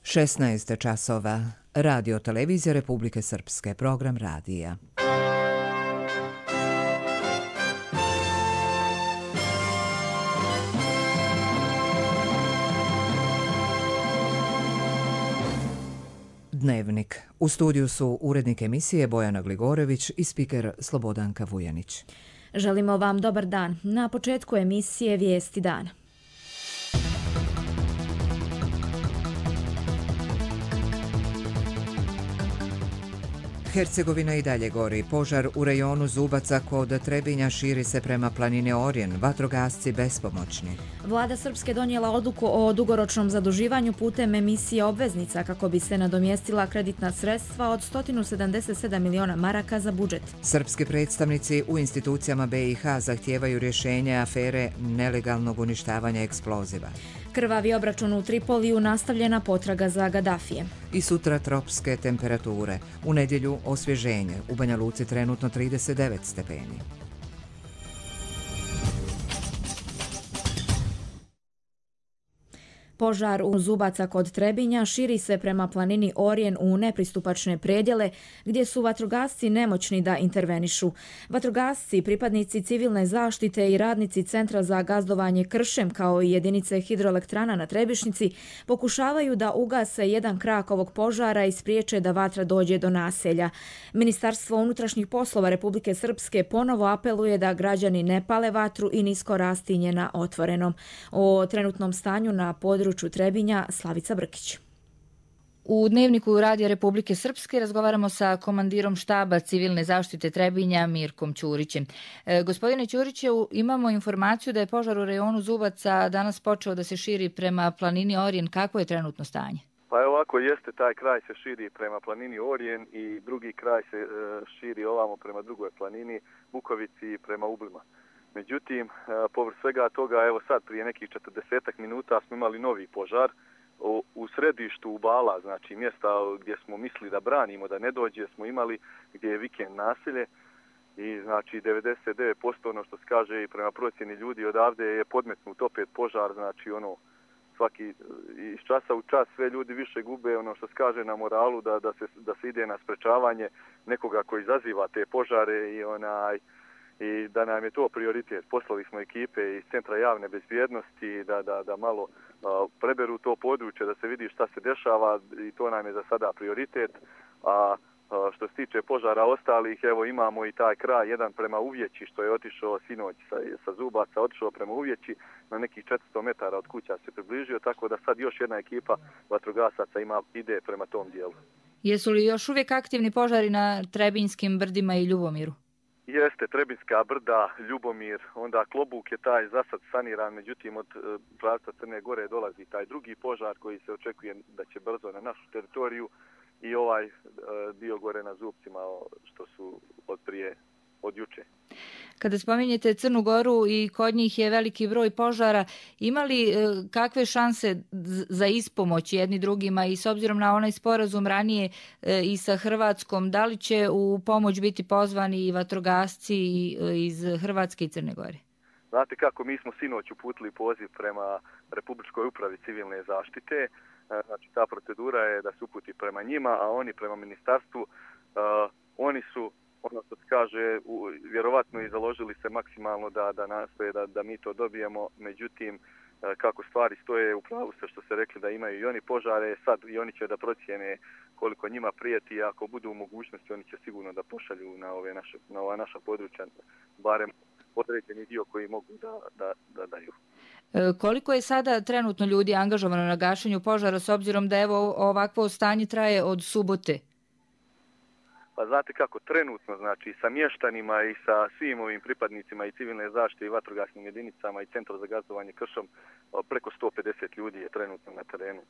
16 časova. Radio Televizija Republike Srpske. Program radija. Dnevnik. U studiju su urednik emisije Bojana Gligorević i spiker Slobodanka Vujanić. Želimo vam dobar dan. Na početku emisije Vijesti dana. Hercegovina i dalje gori. Požar u rejonu Zubaca kod Trebinja širi se prema planini Orjen. Vatrogasci bespomoćni. Vlada Srpske donijela odluku o dugoročnom zaduživanju putem emisije obveznica kako bi se nadomjestila kreditna sredstva od 177 miliona maraka za budžet. Srpski predstavnici u institucijama BiH zahtijevaju rješenje afere nelegalnog uništavanja eksploziva. Krvavi obračun u Tripoliju, nastavljena potraga za Gadafije. I sutra tropske temperature. U nedjelju osvježenje. U Banja Luci trenutno 39 stepeni. Požar u Zubaca kod Trebinja širi se prema planini Orjen u nepristupačne predjele gdje su vatrogasci nemoćni da intervenišu. Vatrogasci, pripadnici civilne zaštite i radnici Centra za gazdovanje kršem kao i jedinice hidroelektrana na Trebišnici pokušavaju da ugase jedan krak ovog požara i spriječe da vatra dođe do naselja. Ministarstvo unutrašnjih poslova Republike Srpske ponovo apeluje da građani ne pale vatru i nisko rastinje na otvorenom. O trenutnom stanju na području Trebinja, Slavica Brkić. U Dnevniku Radija Republike Srpske razgovaramo sa komandirom štaba civilne zaštite Trebinja Mirkom Ćurićem. Gospodine Ćuriću, imamo informaciju da je požar u rejonu Zubaca danas počeo da se širi prema planini Orjen. Kako je trenutno stanje? Pa ovako jeste, taj kraj se širi prema planini Orjen i drugi kraj se širi ovamo prema drugoj planini Bukovici i prema Ublima. Međutim, povrh svega toga, evo sad prije nekih 40 minuta smo imali novi požar u središtu Ubala, znači mjesta gdje smo mislili da branimo, da ne dođe, smo imali gdje je vikend naselje i znači 99% ono što se kaže i prema procjeni ljudi odavde je podmetnut opet požar, znači ono svaki iz časa u čas sve ljudi više gube ono što se kaže na moralu da se ide na sprečavanje nekoga koji izaziva te požare i da nam je to prioritet. Poslali smo ekipe iz Centra javne bezbjednosti da malo preberu to područje, da se vidi šta se dešava i to nam je za sada prioritet. A što se tiče požara ostalih, evo imamo i taj kraj, jedan prema Uvjeći što je otišao sinoć sa Zubaca, otišao prema Uvjeći, na nekih 400 metara od kuća se približio, tako da sad još jedna ekipa vatrogasaca ide prema tom dijelu. Jesu li još uvijek aktivni požari na Trebinjskim brdima i Ljubomiru? Jeste, Trebinjska brda, Ljubomir, onda Klobuk je taj zasad saniran, međutim od pravca Crne Gore dolazi taj drugi požar koji se očekuje da će brzo na našu teritoriju i ovaj dio gore na Zubcima što su od juče. Kada spominjete Crnu Goru i kod njih je veliki broj požara, ima li kakve šanse za ispomoć jedni drugima i s obzirom na onaj sporazum ranije i sa Hrvatskom, da li će u pomoć biti pozvani i vatrogasci iz Hrvatske i Crne Gore? Znate kako, mi smo sinoć uputili poziv prema Republičkoj upravi civilne zaštite, znači ta procedura je da se uputi prema njima, a oni prema ministarstvu, oni su ono što se kaže, vjerovatno i založili se maksimalno da nastoje da mi to dobijemo, međutim, kako stvari stoje, upravo se što se rekli da imaju i oni požare, sad i oni će da procijene koliko njima prijeti, ako budu u mogućnosti, oni će sigurno da pošalju na ova naša područja, barem određeni dio koji mogu da daju. Koliko je sada trenutno ljudi angažovano na gašenju požara, s obzirom da evo ovakvo stanje traje od subote? Pa znate kako, trenutno, znači sa mještanima i sa svim ovim pripadnicima i civilne zaštite i vatrogasnim jedinicama i Centra za gazdovanje kršom, preko 150 ljudi je trenutno na terenu.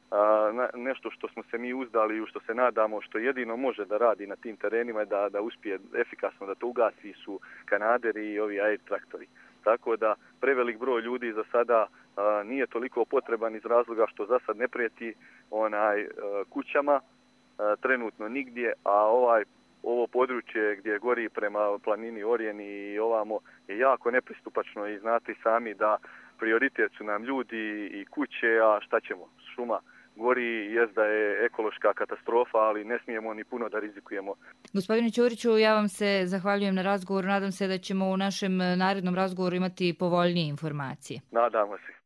Nešto što smo se mi uzdali i što se nadamo, što jedino može da radi na tim terenima je da uspije efikasno da to ugasi su kanaderi i ovi air traktori. Tako da prevelik broj ljudi za sada nije toliko potreban iz razloga što za sad ne prijeti kućama, trenutno nigdje, a ovo područje gdje gori prema planini Orjen i ovamo je jako nepristupačno i znate sami da prioritet su nam ljudi i kuće, a šta ćemo, šuma gori, jest da je ekološka katastrofa, ali ne smijemo ni puno da rizikujemo. Gospodine Ćuriću, ja vam se zahvaljujem na razgovoru. Nadam se da ćemo u našem narednom razgovoru imati povoljnije informacije. Nadamo se.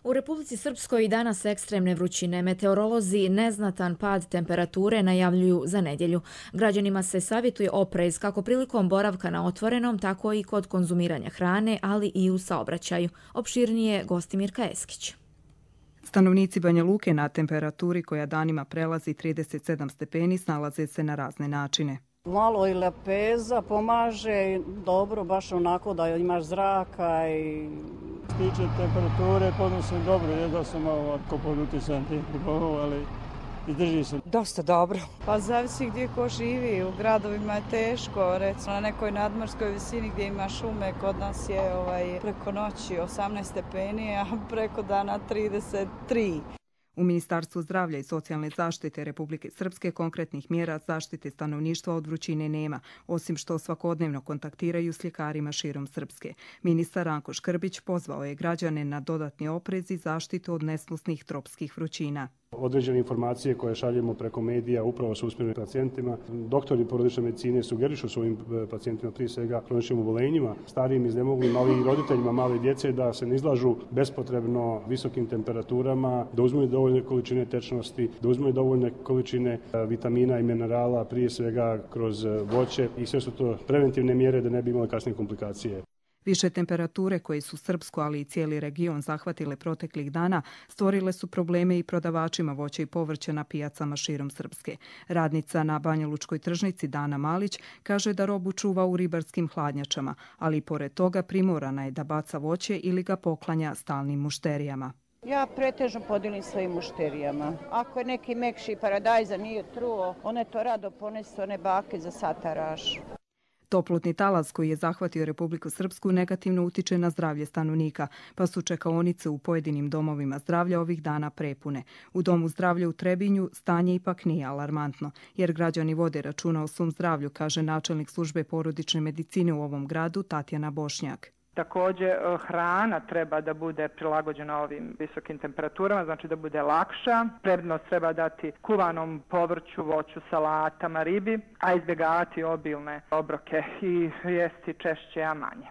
U Republici Srpskoj i danas ekstremne vrućine. Meteorolozi neznatan pad temperature najavljuju za nedjelju. Građanima se savjetuje oprez kako prilikom boravka na otvorenom, tako i kod konzumiranja hrane, ali i u saobraćaju. Opširnije Gostimirka Eskić. Stanovnici Banja Luke na temperaturi koja danima prelazi 37 stepeni snalaze se na razne načine. Malo i lepeza pomaže, dobro, baš onako da imaš zraka i... Što se tiče temperature, podnosim dobro, jedva sam malo pod uticajem tih pribova, ali izdrži se. Dosta dobro. Pa zavisi gdje ko živi, u gradovima je teško, recimo na nekoj nadmorskoj visini gdje ima šume, kod nas je preko noći 18 stepeni, a preko dana 33. U Ministarstvu zdravlja i socijalne zaštite Republike Srpske konkretnih mjera zaštite stanovništva od vrućine nema, osim što svakodnevno kontaktiraju s ljekarima širom Srpske. Ministar Ranko Škrbić pozvao je građane na dodatni oprez i zaštitu od nesnosnih tropskih vrućina. Određene informacije koje šaljemo preko medija upravo su usmjerene pacijentima. Doktori porodične medicine sugerišu svojim pacijentima, prije svega kroničnim oboljenjima, starijim, iznemoglim, ali i roditeljima male djece da se ne izlažu bespotrebno visokim temperaturama, da uzmu dovoljne količine tečnosti, da uzmu dovoljne količine vitamina i minerala, prije svega kroz voće, i sve su to preventivne mjere da ne bi imali kasnije komplikacije. Više temperature koje su Srpsku, ali i cijeli region zahvatile proteklih dana stvorile su probleme i prodavačima voća i povrća na pijacama širom Srpske. Radnica na Banjalučkoj tržnici Dana Malić kaže da robu čuva u ribarskim hladnjačama, ali i pored toga primorana je da baca voće ili ga poklanja stalnim mušterijama. Ja pretežno podijelim svojim mušterijama. Ako je neki mekši paradajza nije truo, one to rado ponesu, one bake za sataraš. Toplotni talas koji je zahvatio Republiku Srpsku negativno utiče na zdravlje stanovnika, pa su čekaonice u pojedinim domovima zdravlja ovih dana prepune. U Domu zdravlja u Trebinju stanje ipak nije alarmantno, jer građani vode računa o svom zdravlju, kaže načelnik službe porodične medicine u ovom gradu Tatjana Bošnjak. Također hrana treba da bude prilagođena ovim visokim temperaturama, znači da bude lakša. Prednost treba dati kuvanom povrću, voću, salatama, ribi, a izbjegavati obilne obroke i jesti češće, a manje.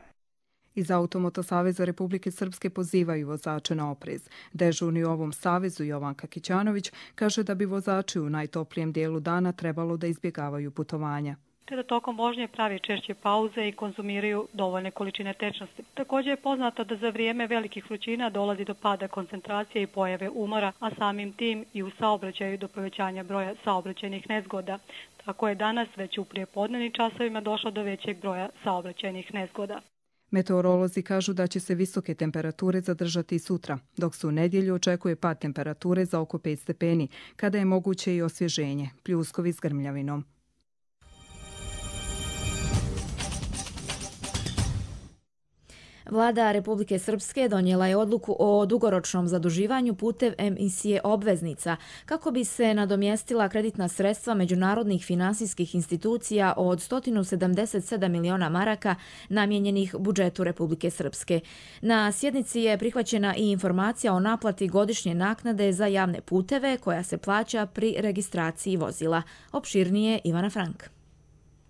Iz Automoto saveza Republike Srpske pozivaju vozače na oprez. Dežurni u ovom savezu Jovanka Kićanović kaže da bi vozači u najtoplijem dijelu dana trebalo da izbjegavaju putovanja, te da tokom vožnje pravi češće pauze i konzumiraju dovoljne količine tečnosti. Također je poznato da za vrijeme velikih vrućina dolazi do pada koncentracije i pojave umora, a samim tim i u saobraćaju do povećanja broja saobraćajnih nezgoda. Tako je danas već u prijepodnevnim časovima došlo do većeg broja saobraćajnih nezgoda. Meteorolozi kažu da će se visoke temperature zadržati sutra, dok se u nedjelju očekuje pad temperature za oko 5 stepeni, kada je moguće i osvježenje, pljuskovi s grmljavinom. Vlada Republike Srpske donijela je odluku o dugoročnom zaduživanju putem emisije obveznica kako bi se nadomjestila kreditna sredstva međunarodnih finansijskih institucija od 177 miliona maraka namijenjenih budžetu Republike Srpske. Na sjednici je prihvaćena i informacija o naplati godišnje naknade za javne puteve koja se plaća pri registraciji vozila. Opširnije Ivana Frank.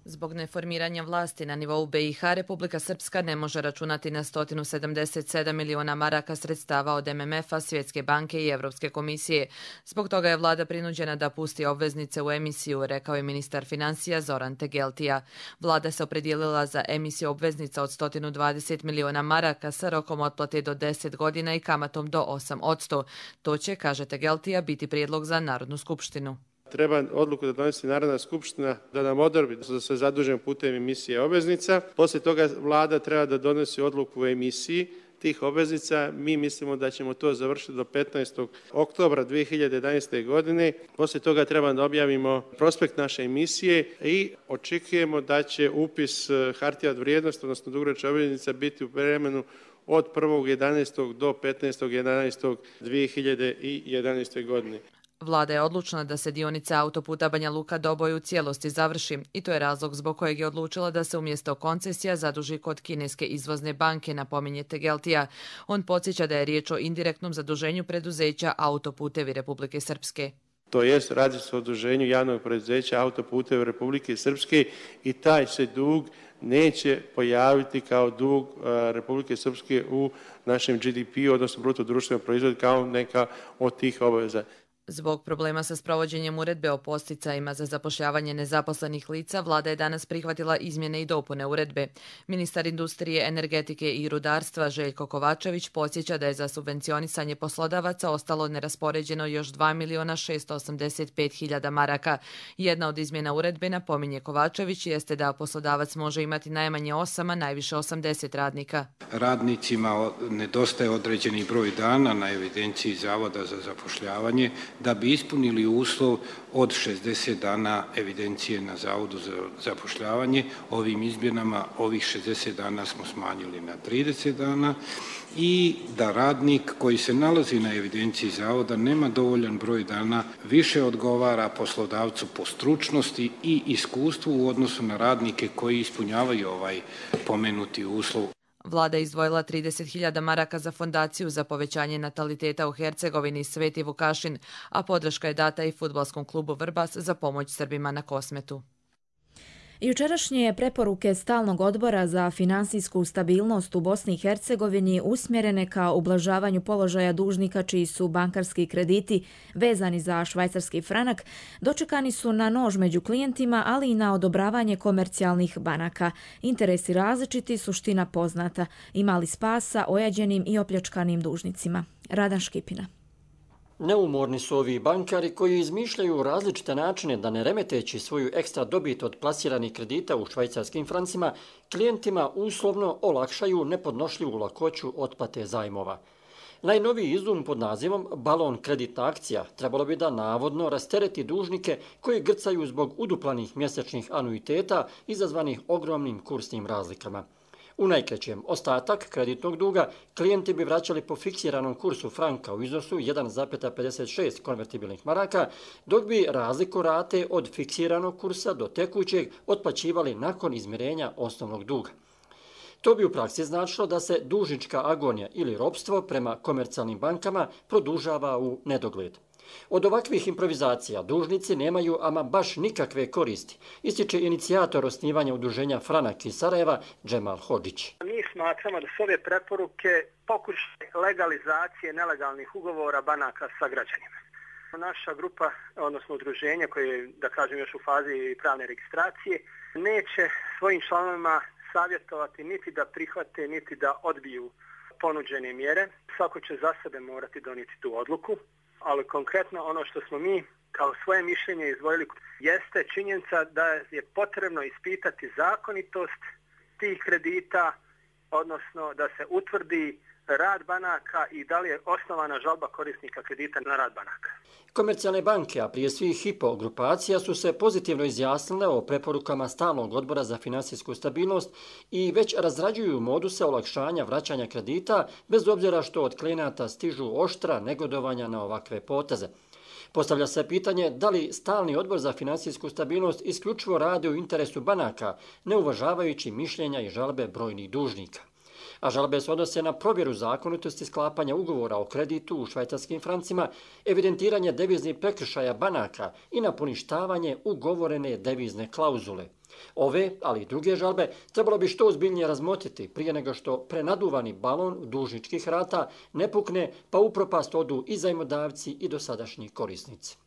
Zbog neformiranja vlasti na nivou BiH, Republika Srpska ne može računati na 177 miliona maraka sredstava od MMF-a, Svjetske banke i Evropske komisije. Zbog toga je vlada prinuđena da pusti obveznice u emisiju, rekao je ministar financija Zoran Tegeltija. Vlada se opredijelila za emisiju obveznica od 120 miliona maraka sa rokom otplate do 10 godina i kamatom do 8%. To će, kaže Tegeltija, biti prijedlog za Narodnu skupštinu. Treba odluku da donesi Narodna skupština da nam odobri da se zadužimo putem emisije obveznica. Poslije toga vlada treba da donesi odluku o emisiji tih obveznica. Mi mislimo da ćemo to završiti do 15. oktobra 2011. godine. Poslije toga treba da objavimo prospekt naše emisije i očekujemo da će upis hartija od vrijednosti, odnosno dugoročnih obveznica, biti u vremenu od 1.11. do 15.11.2011. godine. Vlada je odlučna da se dionica autoputa Banja Luka-Doboj u cijelosti završi i to je razlog zbog kojeg je odlučila da se umjesto koncesija zaduži kod kineske izvozne banke, napominje Tegeltija. On podsjeća da je riječ o indirektnom zaduženju preduzeća Autoputevi Republike Srpske. To jest, radi se o zaduženju javnog preduzeća Autoputevi Republike Srpske i taj se dug neće pojaviti kao dug Republike Srpske u našem GDP, odnosno bruto društvenom proizvodu, kao neka od tih obaveza. Zbog problema sa sprovođenjem uredbe o posticajima za zapošljavanje nezaposlenih lica, vlada je danas prihvatila izmjene i dopune uredbe. Ministar industrije, energetike i rudarstva Željko Kovačević podsjeća da je za subvencionisanje poslodavaca ostalo neraspoređeno još 2.685.000 maraka. Jedna od izmjena uredbe, napominje Kovačević, jeste da poslodavac može imati najmanje 8, a najviše 80 radnika. Radnicima nedostaje određeni broj dana na evidenciji Zavoda za zapošljavanje da bi ispunili uslov od 60 dana evidencije na Zavodu za zapošljavanje. Ovim izmjenama ovih 60 dana smo smanjili na 30 dana i da radnik koji se nalazi na evidenciji Zavoda nema dovoljan broj dana, više odgovara poslodavcu po stručnosti i iskustvu u odnosu na radnike koji ispunjavaju ovaj pomenuti uslov. Vlada je izdvojila 30.000 maraka za fondaciju za povećanje nataliteta u Hercegovini Sveti Vukašin, a podrška je data i fudbalskom klubu Vrbas za pomoć Srbima na Kosmetu. Jučerašnje preporuke Stalnog odbora za finansijsku stabilnost u Bosni i Hercegovini usmjerene ka ublažavanju položaja dužnika čiji su bankarski krediti vezani za švajcarski franak dočekani su na nož među klijentima, ali i na odobravanje komercijalnih banaka. Interesi različiti, suština poznata. Ima li spasa ojađenim i opljačkanim dužnicima? Radan Škipina. Neumorni su ovi bankari koji izmišljaju različite načine da ne remeteći svoju ekstra dobit od plasiranih kredita u švajcarskim francima, klijentima uslovno olakšaju nepodnošljivu lakoću otplate zajmova. Najnoviji izum pod nazivom balon kreditna akcija trebalo bi da navodno rastereti dužnike koji grcaju zbog uduplanih mjesečnih anuiteta izazvanih ogromnim kursnim razlikama. U najkraćem, ostatak kreditnog duga klijenti bi vraćali po fiksiranom kursu franka u iznosu 1,56 konvertibilnih maraka, dok bi razliku rate od fiksiranog kursa do tekućeg otplaćivali nakon izmirenja osnovnog duga. To bi u praksi značilo da se dužnička agonija ili ropstvo prema komercijalnim bankama produžava u nedogled. Od ovakvih improvizacija dužnici nemaju ama baš nikakve koristi, ističe inicijator osnivanja udruženja Franak iz Sarajeva Džemal Hodžić. Mi smatramo da su ove preporuke pokušaj legalizacije nelegalnih ugovora banaka sa građanima. Naša grupa, odnosno udruženje koje je, da kažem, još u fazi pravne registracije, neće svojim članovima savjetovati niti da prihvate, niti da odbiju ponuđene mjere. Svako će za sebe morati donijeti tu odluku. Ali konkretno ono što smo mi kao svoje mišljenje izdvojili jeste činjenica da je potrebno ispitati zakonitost tih kredita, odnosno da se utvrdi rad banaka i da li je osnovana žalba korisnika kredita na rad banaka. Komercijalne banke, a prije svih Hypo grupacija, su se pozitivno izjasnile o preporukama Stalnog odbora za finansijsku stabilnost i već razrađuju moduse olakšanja vraćanja kredita, bez obzira što od klijenata stižu oštra negodovanja na ovakve poteze. Postavlja se pitanje da li Stalni odbor za finansijsku stabilnost isključivo radi u interesu banaka, ne uvažavajući mišljenja i žalbe brojnih dužnika. A žalbe se odnose na provjeru zakonitosti sklapanja ugovora o kreditu u švajcarskim francima, evidentiranje deviznih prekršaja banaka i na poništavanje ugovorene devizne klauzule. Ove, ali i druge žalbe, trebalo bi što ozbiljnije razmotriti prije nego što prenaduvani balon dužničkih rata ne pukne, pa u propast odu i zajmodavci i dosadašnji korisnici.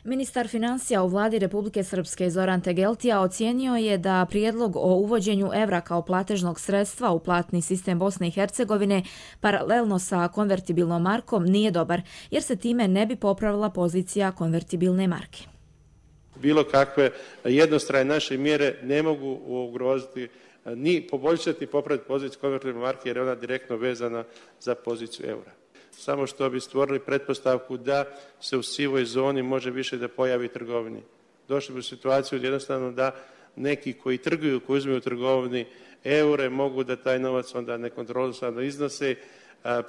Ministar financija u vladi Republike Srpske Zoran Tegeltija ocijenio je da prijedlog o uvođenju evra kao platežnog sredstva u platni sistem Bosne i Hercegovine paralelno sa konvertibilnom markom nije dobar, jer se time ne bi popravila pozicija konvertibilne marke. Bilo kakve jednostrane naše mjere ne mogu ugroziti ni poboljšati ni popraviti poziciju konvertibilne marke jer je ona direktno vezana za poziciju eura. Samo što bi stvorili pretpostavku da se u sivoj zoni može više da pojavi trgovini. Došli bi u situaciju jednostavno da neki koji trguju, koji uzmeju u trgovini eure, mogu da taj novac onda nekontrolisano iznose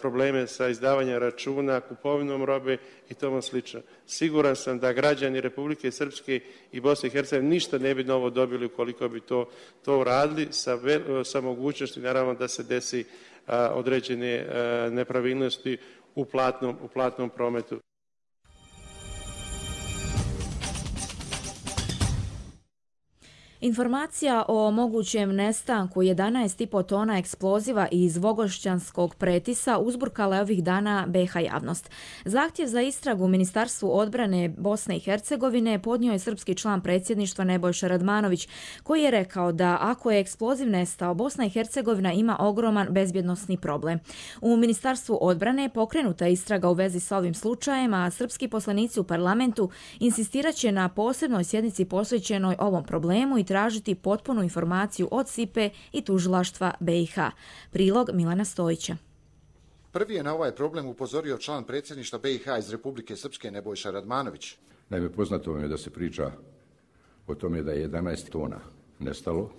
probleme sa izdavanjem računa, kupovinom robe i tomu slično. Siguran sam da građani Republike Srpske i Bosne i Hercegovine ništa ne bi novo dobili ukoliko bi to uradili sa mogućnosti naravno da se desi određene nepravilnosti u platnom prometu. Informacija o mogućem nestanku 11,5 tona eksploziva iz Vogošćanskog Pretisa uzburkala je ovih dana BiH javnost. Zahtjev za istragu Ministarstvu odbrane Bosne i Hercegovine podnio je srpski član predsjedništva Nebojša Radmanović, koji je rekao da ako je eksploziv nestao, Bosna i Hercegovina ima ogroman bezbjednosni problem. U Ministarstvu odbrane pokrenuta je istraga u vezi sa ovim slučajem, a srpski poslanici u parlamentu insistirat će na posebnoj sjednici posvećenoj ovom problemu i tražiti potpunu informaciju od SIPE i tužilaštva BiH. Prilog Milana Stojića. Prvi je na ovaj problem upozorio član predsjedništva BiH iz Republike Srpske Nebojša Radmanović. Naime, poznato vam je da se priča o tome da je 11 tona nestalo.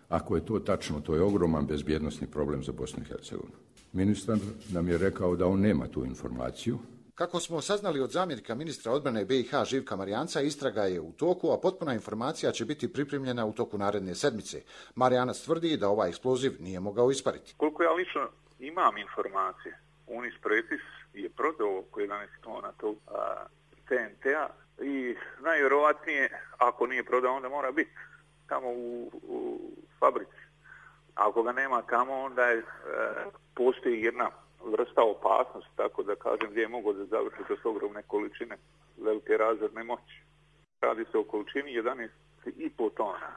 Ako je to tačno, to je ogroman bezbjednosni problem za Bosnu i Hercegovinu. Ministar nam je rekao da on nema tu informaciju. Kako smo saznali od zamjenika ministra odbrane BiH Živka Marijanca, istraga je u toku, a potpuna informacija će biti pripremljena u toku naredne sedmice. Marijanac tvrdi da ovaj eksploziv nije mogao ispariti. Koliko ja lično imam informacije, Unis Pretis je prodao oko 11 tona tog TNT-a i najvjerovatnije, ako nije prodao, onda mora biti tamo u fabrici. Ako ga nema tamo, onda postoji jedna vrsta opasnosti, tako da kažem, gdje je mogo da završi to s ogromne količine velike razorne moći. Radi se o količini 11,5 tona,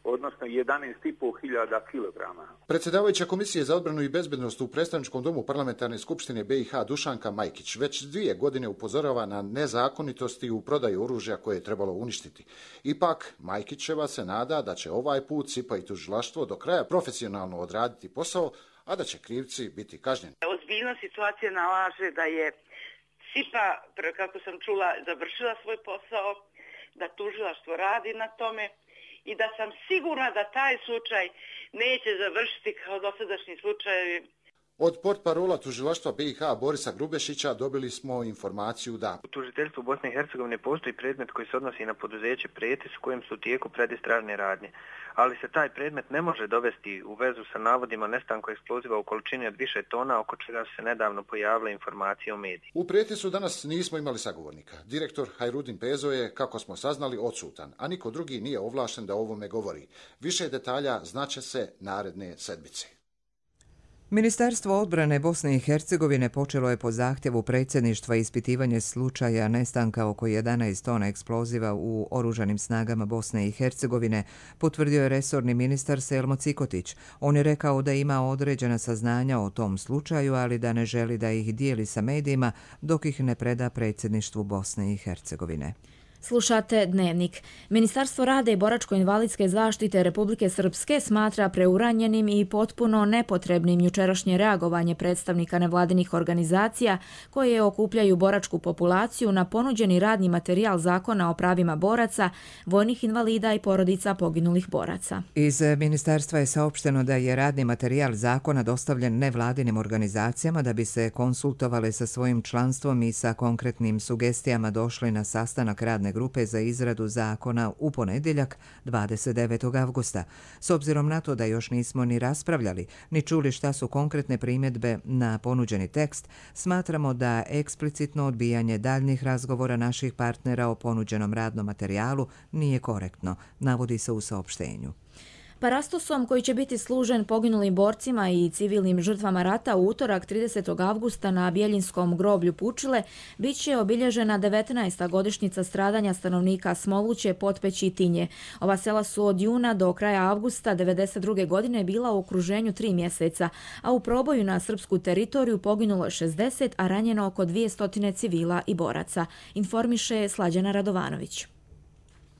odnosno 11.500 kilograma. Predsjedavajuća Komisije za odbranu i bezbednost u predstavničkom domu Parlamentarne skupštine BiH Dušanka Majkić već 2 godine upozorava na nezakonitosti u prodaju oružja koje je trebalo uništiti. Ipak, Majkićeva se nada da će ovaj put SIPA i tužilaštvo do kraja profesionalno odraditi posao, a da će krivci biti kažnjeni. Ozbiljnost situacije nalaže da je SIPA, kako sam čula, završila svoj posao, da tužilaštvo radi na tome i da sam sigurna da taj slučaj neće završiti kao dosadašnji slučajevi. Od portparola tužilaštva BiH Borisa Grubešića dobili smo informaciju da u tužiteljstvu Bosne i Hercegovine postoji predmet koji se odnosi na poduzeće Pretis u kojem su u tijeku predistražne radnje, ali se taj predmet ne može dovesti u vezu sa navodima nestanku eksploziva u količini od više tona, oko čega su se nedavno pojavile informacije o mediji. U Pretisu danas nismo imali sagovornika. Direktor Hajrudin Pezo je, kako smo saznali, odsutan, a niko drugi nije ovlašten da o ovome govori. Više detalja znaće se naredne sedmice. Ministarstvo odbrane Bosne i Hercegovine počelo je po zahtjevu predsjedništva ispitivanje slučaja nestanka oko 11 tona eksploziva u oružanim snagama Bosne i Hercegovine, potvrdio je resorni ministar Selmo Cikotić. On je rekao da ima određena saznanja o tom slučaju, ali da ne želi da ih dijeli sa medijima dok ih ne preda predsjedništvu Bosne i Hercegovine. Slušate Dnevnik. Ministarstvo rada i boračko-invalidske zaštite Republike Srpske smatra preuranjenim i potpuno nepotrebnim jučerašnje reagovanje predstavnika nevladinih organizacija koje okupljaju boračku populaciju na ponuđeni radni materijal Zakona o pravima boraca, vojnih invalida i porodica poginulih boraca. Iz ministarstva je saopšteno da je radni materijal zakona dostavljen nevladinim organizacijama da bi se konsultovale sa svojim članstvom i sa konkretnim sugestijama došli na sastanak radne grupe za izradu zakona u ponedjeljak 29. avgusta. S obzirom na to da još nismo ni raspravljali, ni čuli šta su konkretne primjedbe na ponuđeni tekst, smatramo da eksplicitno odbijanje daljnjih razgovora naših partnera o ponuđenom radnom materijalu nije korektno, navodi se u saopštenju. Parastosom koji će biti služen poginulim borcima i civilnim žrtvama rata u utorak 30. avgusta na Bjeljinskom groblju Pučile bit će obilježena 19. godišnjica stradanja stanovnika Smoluće, Potpeći i Tinje. Ova sela su od juna do kraja avgusta 1992. godine bila u okruženju 3 mjeseca, a u proboju na srpsku teritoriju poginulo 60, a ranjeno oko 200 civila i boraca, informiše Slađana Radovanović.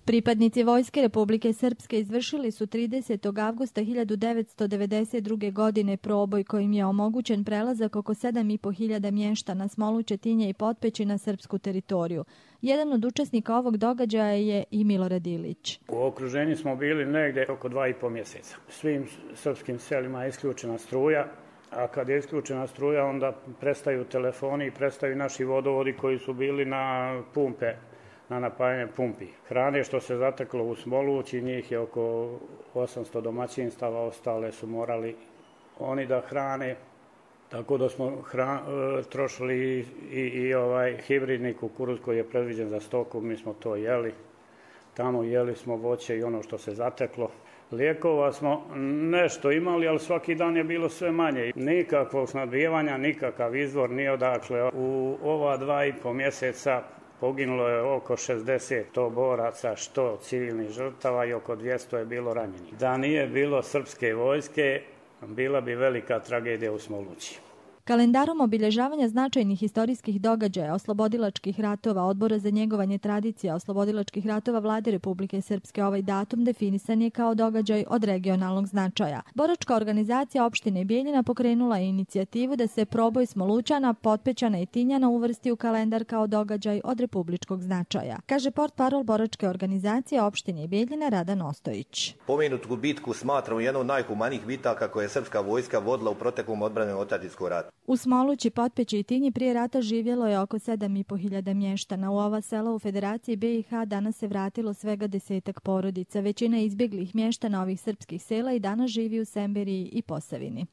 Pripadnici Vojske Republike Srpske izvršili su 30. avgusta 1992. godine proboj kojim je omogućen prelazak oko 7.500 mještana Smoluće, Tinje i Potpeći na srpsku teritoriju. Jedan od učesnika ovog događaja je i Milorad Ilić. U okruženju smo bili negdje oko 2,5 mjeseca. Svim srpskim selima je isključena struja, a kad je isključena struja onda prestaju telefoni i prestaju naši vodovodi koji su bili na pumpe, na napajanje pumpi. Hrane što se zateklo u Smolući, njih je oko 800 domaćinstava, ostale su morali oni da hrane, tako da smo trošili i hibridni kukuruz koji je predviđen za stoku, mi smo to jeli. Tamo jeli smo voće i ono što se zateklo. Lijekova smo nešto imali, ali svaki dan je bilo sve manje. Nikakvog snabdijevanja, nikakav izvor, ni odakle. U ova 2,5 mjeseca poginulo je oko 60 to boraca, što civilnih žrtava i oko 200 je bilo ranjenih. Da nije bilo srpske vojske, bila bi velika tragedija u Smolući. Kalendarom obilježavanja značajnih historijskih događaja oslobodilačkih ratova Odbora za njegovanje tradicija oslobodilačkih ratova Vlade Republike Srpske ovaj datum definisan je kao događaj od regionalnog značaja. Boračka organizacija opštine Bijeljina pokrenula je inicijativu da se proboj Smolućana, Potpećana i Tinjana uvrsti u kalendar kao događaj od republičkog značaja, kaže portparol boračke organizacije opštine Bijeljina Radan Ostojić. Pomenutu bitku smatramo jednom od najhumanijih bitaka koje je srpska vojska vodila u proteklom odbranenom otadžbinskog rata. U Smolući, Potpeći i Tinji prije rata živjelo je oko 7.500 mještana. U ova sela u Federaciji BiH danas se vratilo svega 10-ak porodica. Većina izbjeglih mještana ovih srpskih sela i danas živi u Semberiji i Posavini.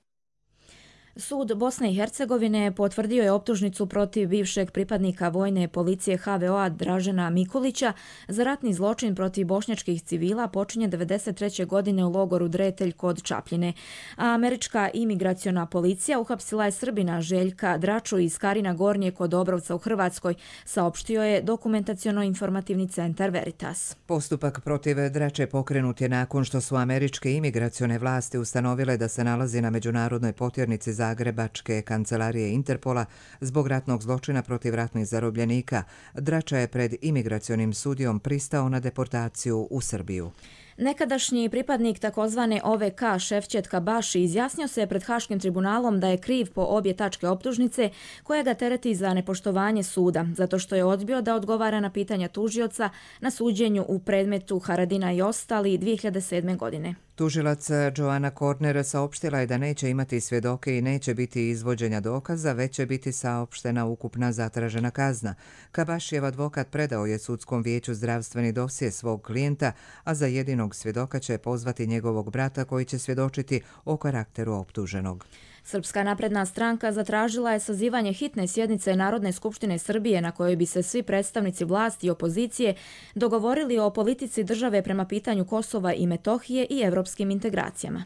Sud Bosne i Hercegovine potvrdio je optužnicu protiv bivšeg pripadnika vojne policije HVO-a Dražena Mikulića za ratni zločin protiv bošnjačkih civila počinjen 1993. godine u logoru Dretelj kod Čapljine. A američka imigraciona policija uhapsila je Srbina Željka Draču iz Karina Gornje kod Obrovca u Hrvatskoj, saopštio je dokumentaciono-informativni centar Veritas. Postupak protiv Drače pokrenut je nakon što su američke imigracione vlasti ustanovile da se nalazi na međunarodnoj potjernici Zagrebačke kancelarije Interpola zbog ratnog zločina protiv ratnih zarobljenika. Drača je pred imigracionim sudijom pristao na deportaciju u Srbiju. Nekadašnji pripadnik takozvane OVK Šefčet Kabaši izjasnio se pred Haškim tribunalom da je kriv po obje tačke optužnice koja ga tereti za nepoštovanje suda, zato što je odbio da odgovara na pitanja tužioca na suđenju u predmetu Haradina i ostali 2007. godine. Tužilac Joana Korner saopštila je da neće imati svjedoke i neće biti izvođenja dokaza, već će biti saopštena ukupna zatražena kazna. Kabašijev advokat predao je sudskom vijeću zdravstveni dosje svog klijenta, a za jedinog svjedoka će pozvati njegovog brata koji će svjedočiti o karakteru optuženog. Srpska napredna stranka zatražila je sazivanje hitne sjednice Narodne skupštine Srbije na kojoj bi se svi predstavnici vlasti i opozicije dogovorili o politici države prema pitanju Kosova i Metohije i evropskim integracijama.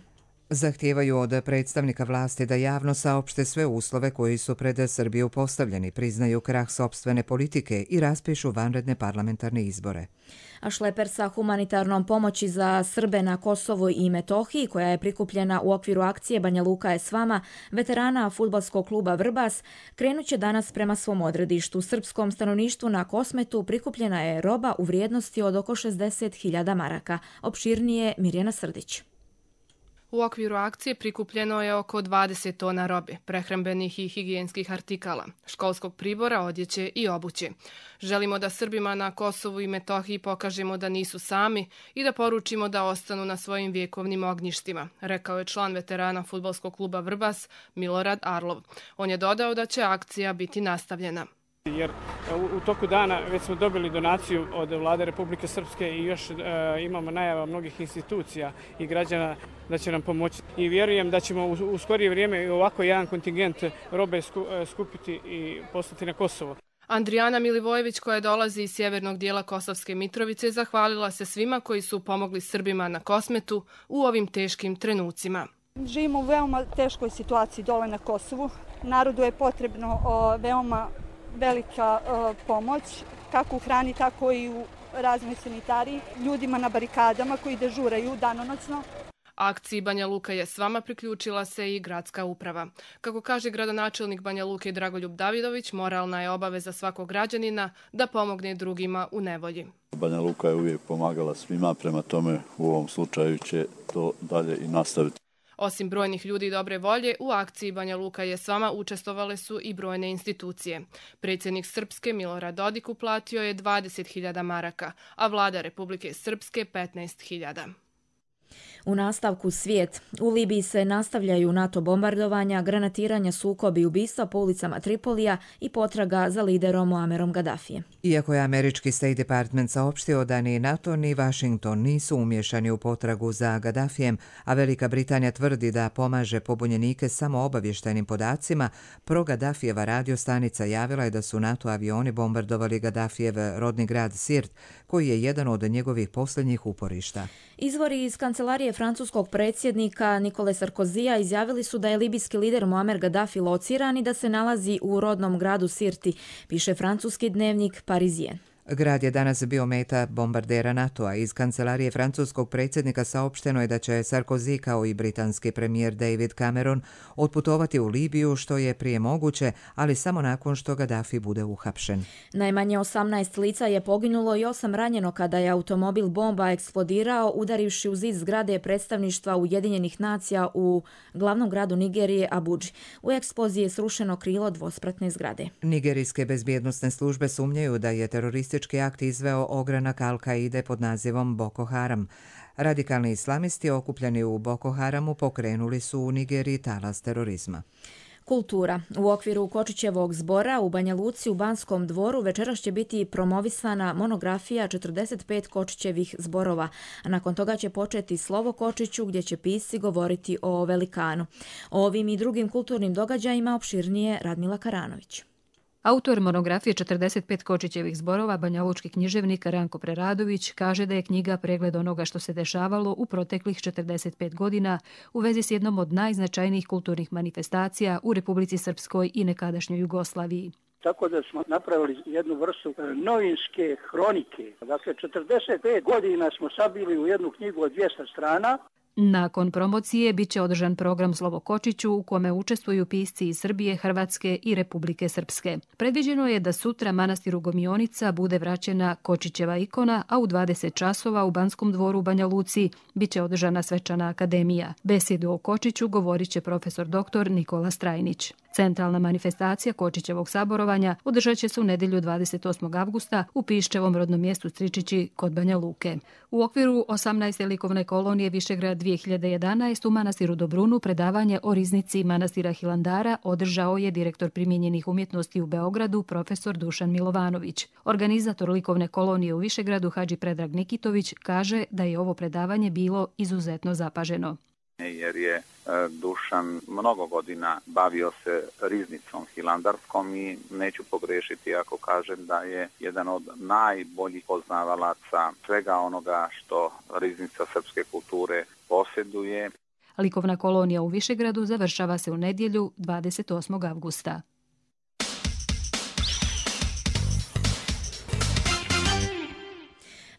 Zahtijevaju od predstavnika vlasti da javno saopšte sve uslove koji su pred Srbiju postavljeni, priznaju krah sopstvene politike i raspišu vanredne parlamentarne izbore. A šleper sa humanitarnom pomoći za Srbe na Kosovu i Metohiji, koja je prikupljena u okviru akcije Banja Luka je s vama, veterana fudbalskog kluba Vrbas, krenuće danas prema svom odredištu. Srpskom stanovništvu na Kosmetu prikupljena je roba u vrijednosti od oko 60.000 maraka. Opširnije Mirjana Srdić. U okviru akcije prikupljeno je oko 20 tona robe, prehrambenih i higijenskih artikala, školskog pribora, odjeće i obuće. Želimo da Srbima na Kosovu i Metohiji pokažemo da nisu sami i da poručimo da ostanu na svojim vjekovnim ognjištima, rekao je član veterana fudbalskog kluba Vrbas Milorad Arlov. On je dodao da će akcija biti nastavljena. Jer u toku dana već smo dobili donaciju od Vlade Republike Srpske i još imamo najava mnogih institucija i građana da će nam pomoći. I vjerujem da ćemo u skorije vrijeme ovako jedan kontingent robe skupiti i poslati na Kosovo. Andrijana Milivojević, koja dolazi iz sjevernog dijela Kosovske Mitrovice, zahvalila se svima koji su pomogli Srbima na Kosmetu u ovim teškim trenucima. Živimo u veoma teškoj situaciji dole na Kosovu. Narodu je potrebno veoma velika pomoć, kako u hrani, tako i u raznoj sanitariji, ljudima na barikadama koji dežuraju danonoćno. Akciji Banja Luka je s vama priključila se i gradska uprava. Kako kaže gradonačelnik Banja Luke Dragoljub Davidović, moralna je obaveza svakog građanina da pomogne drugima u nevolji. Banja Luka je uvijek pomagala svima, prema tome u ovom slučaju će to dalje i nastaviti. Osim brojnih ljudi dobre volje, u akciji Banja Luka je s vama učestvovale su i brojne institucije. Predsjednik Srpske Milorad Dodik uplatio je 20.000 maraka, a vlada Republike Srpske 15.000. U nastavku svijet. U Libiji se nastavljaju NATO bombardovanja, granatiranja, sukobi i ubistva po ulicama Tripolija i potraga za liderom Muammerom Gaddafijem. Iako je američki State Department saopštio da ni NATO ni Washington nisu umješani u potragu za Gaddafijem, a Velika Britanija tvrdi da pomaže pobunjenike samo obavještajnim podacima, pro-Gaddafijeva radiostanica javila je da su NATO avioni bombardovali Gaddafijev rodni grad Sirt, koji je jedan od njegovih posljednjih uporišta. Izvori iz kancelarije francuskog predsjednika Nikole Sarkozija izjavili su da je libijski lider Muammer Gaddafi lociran i da se nalazi u rodnom gradu Sirti, piše francuski dnevnik Parisien. Grad je danas bio meta bombardera NATO-a. Iz kancelarije francuskog predsjednika saopšteno je da će Sarkozy kao i britanski premijer David Cameron otputovati u Libiju što je prije moguće, ali samo nakon što Gaddafi bude uhapšen. Najmanje 18 lica je poginulo i 8 ranjeno kada je automobil bomba eksplodirao udarivši u zid zgrade predstavništva Ujedinjenih nacija u glavnom gradu Nigerije Abudži. U eksploziji je srušeno krilo dvospratne zgrade. Nigerijske bezbjednosne službe sumnjaju da je teroristički akt izveo ogranak Al-Kaide pod nazivom Boko Haram. Radikalni islamisti okupljeni u Boko Haramu pokrenuli su u Nigeriji talas terorizma. Kultura. U okviru Kočićevog zbora u Banja Luci u Banskom dvoru večeras će biti promovisana monografija 45 Kočićevih zborova, a nakon toga će početi Slovo Kočiću gdje će pisci govoriti o velikanu. O ovim i drugim kulturnim događajima opširnije Radmila Karanović. Autor monografije 45 Kočićevih zborova, banjalučki književnik Ranko Preradović, kaže da je knjiga pregled onoga što se dešavalo u proteklih 45 godina u vezi s jednom od najznačajnijih kulturnih manifestacija u Republici Srpskoj i nekadašnjoj Jugoslaviji. Tako da smo napravili jednu vrstu novinske hronike. Dakle, 45 godina smo sabili u jednu knjigu od 200 strana. Nakon promocije bit će održan program Slovo Kočiću u kome učestvuju pisci iz Srbije, Hrvatske i Republike Srpske. Predviđeno je da sutra manastiru Gomionica bude vraćena Kočićeva ikona, a u 20 časova u Banskom dvoru u Banja Luci bit će održana svečana akademija. Besedu o Kočiću govorit će profesor dr. Nikola Strajnić. Centralna manifestacija Kočićevog saborovanja održat će se u nedjelju 28. avgusta u Piščevom rodnom mjestu Stričići kod Banja Luke. U okviru 18. likovne kolonije Višegrad 2011 u manastiru Dobrunu predavanje o riznici manastira Hilandara održao je direktor primijenjenih umjetnosti u Beogradu profesor Dušan Milovanović. Organizator likovne kolonije u Višegradu Hadži Predrag Nikitović kaže da je ovo predavanje bilo izuzetno zapaženo. Jer je Dušan mnogo godina bavio se riznicom hilandarskom i neću pogrešiti ako kažem da je jedan od najboljih poznavalaca svega onoga što riznica srpske kulture posjeduje. Likovna kolonija u Višegradu završava se u nedjelju 28. avgusta.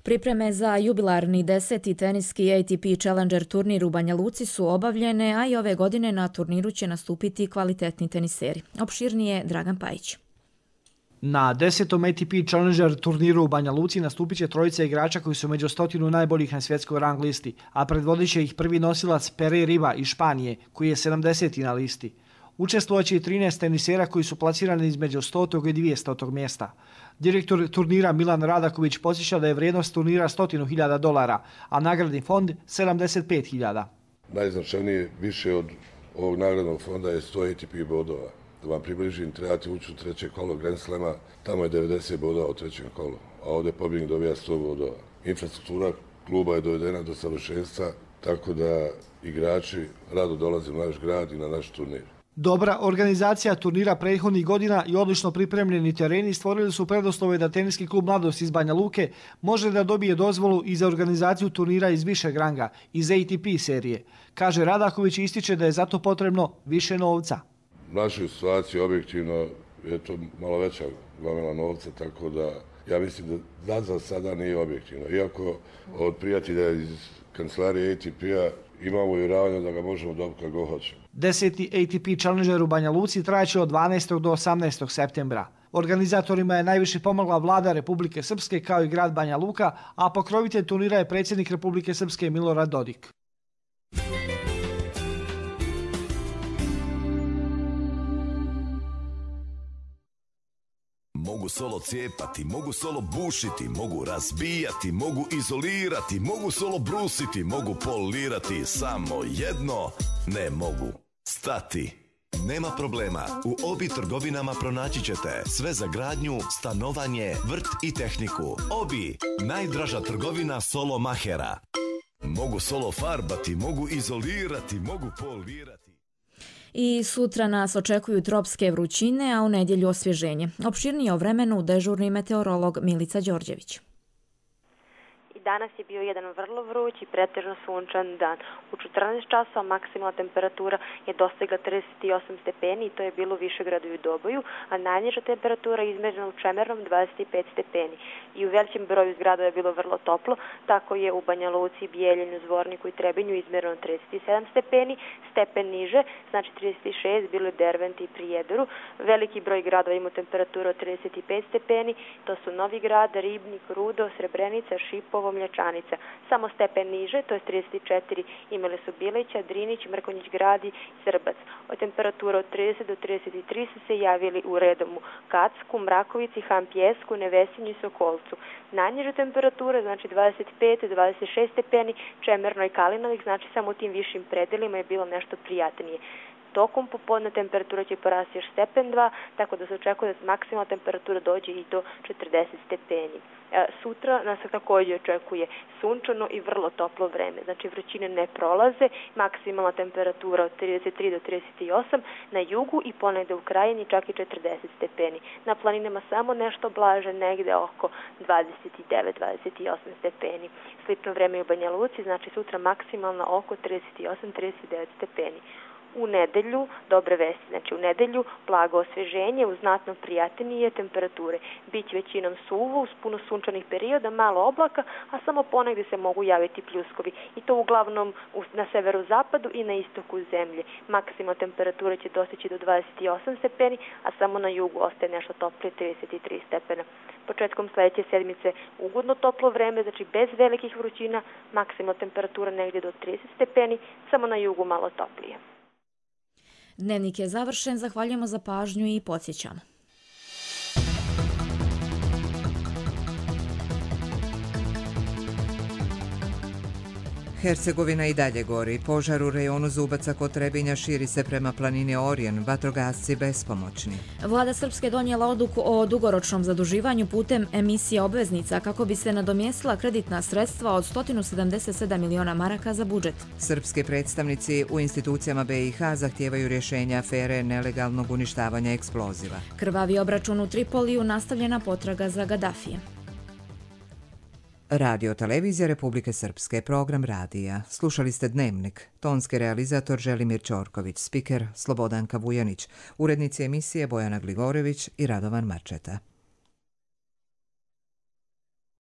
Pripreme za jubilarni 10. teniski ATP Challenger turnir u Banja Luci su obavljene, a i ove godine na turniru će nastupiti kvalitetni teniseri. Opširnije Dragan Pajić. Na 10. ATP Challenger turniru u Banja Luci nastupit će trojica igrača koji su među 100 najboljih na svjetskoj rang listi, a predvodit će ih prvi nosilac Pere Riba iz Španije, koji je 70. na listi. Učestvovaće i 13 tenisera koji su plasirani između 100. i 200. mjesta. Direktor turnira Milan Radaković podsjeća da je vrijednost turnira $100.000, a nagradni fond 75.000. Najznačajnije više od ovog nagradnog fonda je 100 ATP bodova. Da vam približim, trebate ući u treće kolo Grand Slema, tamo je 90 bodova u trećem kolu, a ovdje pobjednik dobija 100 bodova. Infrastruktura kluba je dovedena do savršenstva, tako da igrači rado dolaze u naš grad i na naš turnir. Dobra organizacija turnira prethodnih godina i odlično pripremljeni tereni stvorili su preduslove da teniski klub Mladost iz Banja Luke može da dobije dozvolu i za organizaciju turnira iz višeg ranga, iz ATP serije. Kaže Radaković i ističe da je zato potrebno više novca. U našoj situaciji objektivno je to malo veća gomila novca, tako da ja mislim da za sada nije objektivno. Iako od prijatelja iz kancelarije ATP-a imamo uvjeravanje da ga možemo dobiti kad god hoćemo. 10. ATP Challenger u Banja Luci trajaće od 12. do 18. septembra. Organizatorima je najviše pomogla vlada Republike Srpske kao i grad Banja Luka, a pokrovitelj turnira je predsjednik Republike Srpske Milorad Dodik. Mogu solo cijepati, mogu solo bušiti, mogu razbijati, mogu izolirati, mogu solo brusiti, mogu polirati, samo jedno ne mogu. Stati. Nema problema, u Obi trgovinama pronaći ćete sve za gradnju, stanovanje, vrt i tehniku. Obi, najdraža trgovina solo mahera. Mogu solo farbati, mogu izolirati, mogu polirati. I sutra nas očekuju tropske vrućine, a u nedjelju osvježenje. Opširnije o vremenu dežurni meteorolog Milica Đorđević. Danas je bio jedan vrlo vruć i pretežno sunčan dan. U 14 časova maksimalna temperatura je dostigla 38 stepeni i to je bilo u Višegradu i u Doboju, a najniža temperatura je izmjerena u Čemernom 25 stepeni. I u većem broju zgrada je bilo vrlo toplo, tako je u Banja Luci, Bijeljinu, Zvorniku i Trebinju izmjereno 37 stepeni, stepen niže, znači 36, bilo je Derventi i Prijedoru. Veliki broj gradova ima temperaturu od 35 stepeni, to su Novi Grad, Ribnik, Rudo, Srebrenica, Šipovo, Mlječanica. Samo stepen niže, to je 34, imali su Bilića, Drinić, Mrkonjić Grad i Srbac. Od temperatura od 30 do 33 su se javili u Redomu, Kacku, Mrakovici, Hampjesku, Nevesinju i Sokolcu. Najniža temperatura, znači 25-26 stepeni, Čemerno i Kalinovik, znači samo u tim višim predelima je bilo nešto prijatnije. Tokom popodne temperatura će porasti još stepen 2, tako da se očekuje da maksimalna temperatura dođe i do 40 stepeni. Sutra nas također očekuje sunčano i vrlo toplo vreme, znači vrućine ne prolaze, maksimalna temperatura od 33 do 38, na jugu i ponegde u krajini čak i 40 stepeni. Na planinama samo nešto blaže, negde oko 29-28 stepeni. Slično vreme i u Banja Luci, znači sutra maksimalna oko 38-39 stepeni. U nedelju, dobre vesti, znači u nedelju blago osvježenje uz znatno prijatnije temperature. Biće većinom suvo uz puno sunčanih perioda, malo oblaka, a samo ponegdje se mogu javiti pljuskovi. I to uglavnom na severozapadu i na istoku zemlje. Maksimalna temperatura će dostići do 28 stepeni, a samo na jugu ostaje nešto toplije 33 stepena. Početkom sljedeće sedmice ugodno toplo vreme, znači bez velikih vrućina, maksimalna temperatura negdje do 30 stepeni, samo na jugu malo toplije. Dnevnik je završen, zahvaljujemo za pažnju i podsjećamo. Hercegovina i dalje gori. Požar u rejonu Zubaca kod Trebinja širi se prema planini Orijen, vatrogasci bespomoćni. Vlada Srpske donijela odluku o dugoročnom zaduživanju putem emisije obveznica kako bi se nadomjestila kreditna sredstva od 177 miliona maraka za budžet. Srpski predstavnici u institucijama BiH zahtijevaju rješenja afere nelegalnog uništavanja eksploziva. Krvavi obračun u Tripoliju, nastavljena potraga za Gaddafijem. Radio Televizija Republike Srpske, program radija. Slušali ste Dnevnik. Tonski realizator Želimir Ćorković, spiker Slobodanka Vujanić, urednici emisije Bojana Gligorević i Radovan Marčeta.